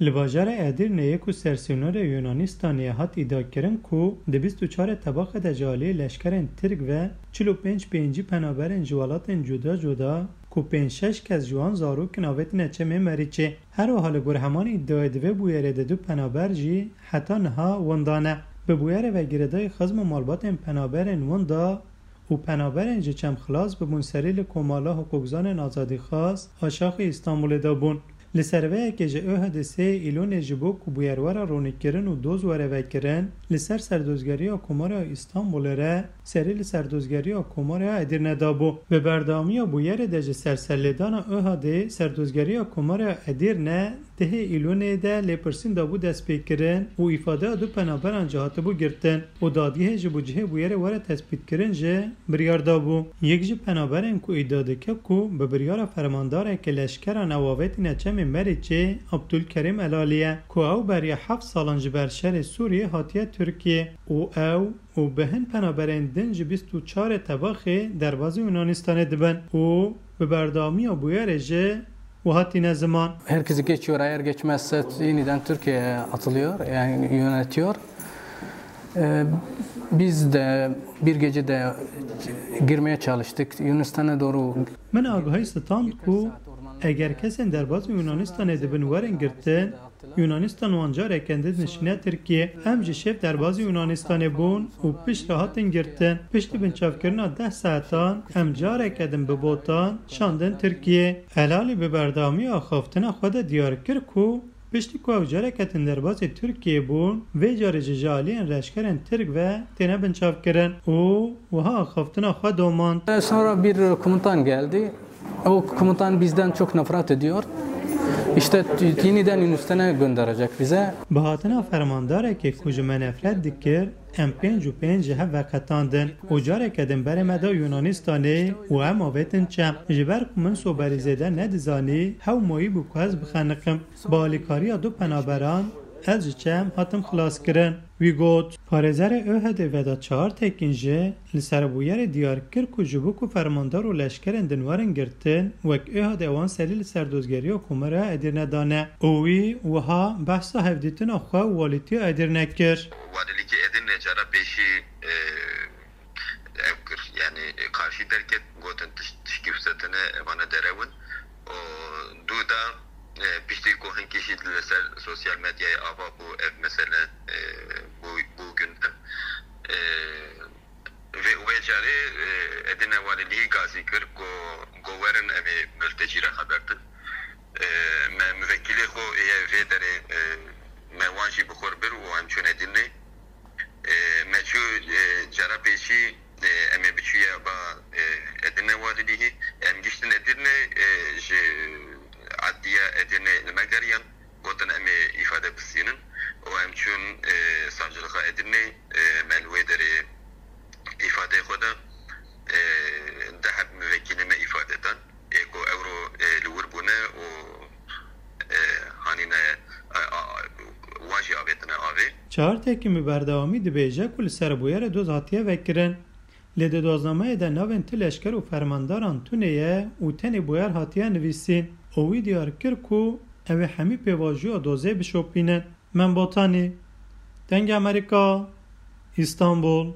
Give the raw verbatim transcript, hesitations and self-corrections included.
Li bajarê Edirneyê ku sersînorê Yunanistanê ye hat îdiakirin ku di bîst û çarê Tebaxê de ji aliyê leşkerên Tirk ve çil û pênc pêncî penaberên ji welatên cuda cuda ku pênc şeş kes ji wan zarok in avêtine çemê Merîçê. Her wiha li gor heman îdiayê di vê bûyerê de du penaber jî heta niha winda ne. Bi bûyerê ve girêdayî xizm û malbatên penaberên winda û penaberên ji çem xilas bibûn serî li Komala Hiqûkzanên Azadîxwaz a Şaxê Îstanbulê de bûn. Li ser vê yekê ji ÖHDê sê Îlonê ji bo ku bûyer were ronîkirin û doz were vekirin, li ser serdozgeriya Komara Îstanbulê re serî li serdozgeriya Komara Edirne dabû. Bi berdewamiya bûyerê de ji serserlêdana ÖHDê serdozgeriya Komara Edirne dehê Îlonê de lêpirsîn dabû destpêkirin û îfadeya du penaberan jî hatibû girtin. Û dadgehê ji bo cihê bûyerê were tespîtkirin jî biryar dabû. Yek ji penaberên ku îdia dike ku bi biryara fermandarekî leşkeran ew avêtîne çemê Merîçê, Abdulkerîm Elalî ye, ku ew beriya heft salan ji ber şerê Sûriyê hatiye Tirkiyê û ew û bi hin penaberên din ji bîst û çarê Tebaxê derbazî Yunanistanê dibin û bi berdewamiya bûyerê jî wiha tîne ziman. Herkes geçiyor, eğer geçmezse yeniden Türkiye'ye atılıyor, yani yönetiyor. Ee, biz de bir gecede girmeye çalıştık Yunanistan'a doğru. Min agahî stand ku eger kesên derbazî Yunanistanê dibin werin girtin, Yunanistan wan careke din dişîne Tirkiye. Em ji şev derbazî Yunanistanê bûn û piştre hatin girtin. Piştî binçavkirina deh saetan em careke din bi botan şandin Tirkiye. Elalî bi berdewamiya axaftina xwe de diyar kir ku piştî ku ew careke din derbazî Tirkiye bûn, vê carê jî ji aliyên leşkerên Tirk ve têne binçavkirin û wiha axaftina xwe domand. Sonra bir komutan geldi. O komutan bizden çok nefret ediyor. İşte yeniden Yunanistan'a gönderecek bize. Bi hatina fermandarekê ku ji me nefret dikir, em pênc û pênc ji hev veqetandin û careke din berê me da Yunanistanê û em avêtin çem. Ji ber ku min soberî zêde nedizanî, hew mayî bû ku ez bixeniqim. Bi alîkariya du penaberan, ez ji çem hatim xilaskirin. Wî got. Parêzerê ÖHDê Vedat Çağırtekin jî li ser bûyerê diyar kir ku ji bo ku fermandar û leşkerên din werin girtin, wek ÖHD wan serî li serdozgeriya Komara Edirne dane û wî wiha behsa hevdîtina xwe û walîtiya Edirne kir. Walîlîkê Edirne cara pêşî, e, ev kir, yanî, e, karşî derket, gotin tiş-, tişkî wisa tune, evane derew in. Û dû da, e, piştî ku hinkî jî li ser sosyal medyayê ava bû ev mesele, e, bû, bû gündem. E, vê, wê carê, e, Edirne Walîlîgî gazî kir ku, ku werin em ê miltecî re xeber din. E, me muvekîlê xwe yê vê derê, e, me wan jî bi xwe re bir û em çûn Edirnê. E, me çû, e, cara pêşî, e, em ê biçûye ba, e, Edirne Walîlîgî. Em giştin Edirne, e, ji adliya Edirne li me geriyan, gotin em ê îfade bistînin û em çûn, e, savcılığa Edirne, e, me li wê derê îfadeyê xwe da, e, deh heb muvekîlê me îfade dan. Ê ku ewro, e, li wir bûne û, e, hanîne, e, a, wan jî avêtine avê. Çağırtekin bi berdewamî dibêje ku li ser bûyerê doz hatiye vekirin. Lê di doznameyê de navên ti leşker û fermandaran tune ye û tenê bûyer hatiye nivîsîn û wî diyar kir ku ew ê hemî pêvajoya dozê bişopînin. Membotanî, Dengê Amerîka, Îstanbul.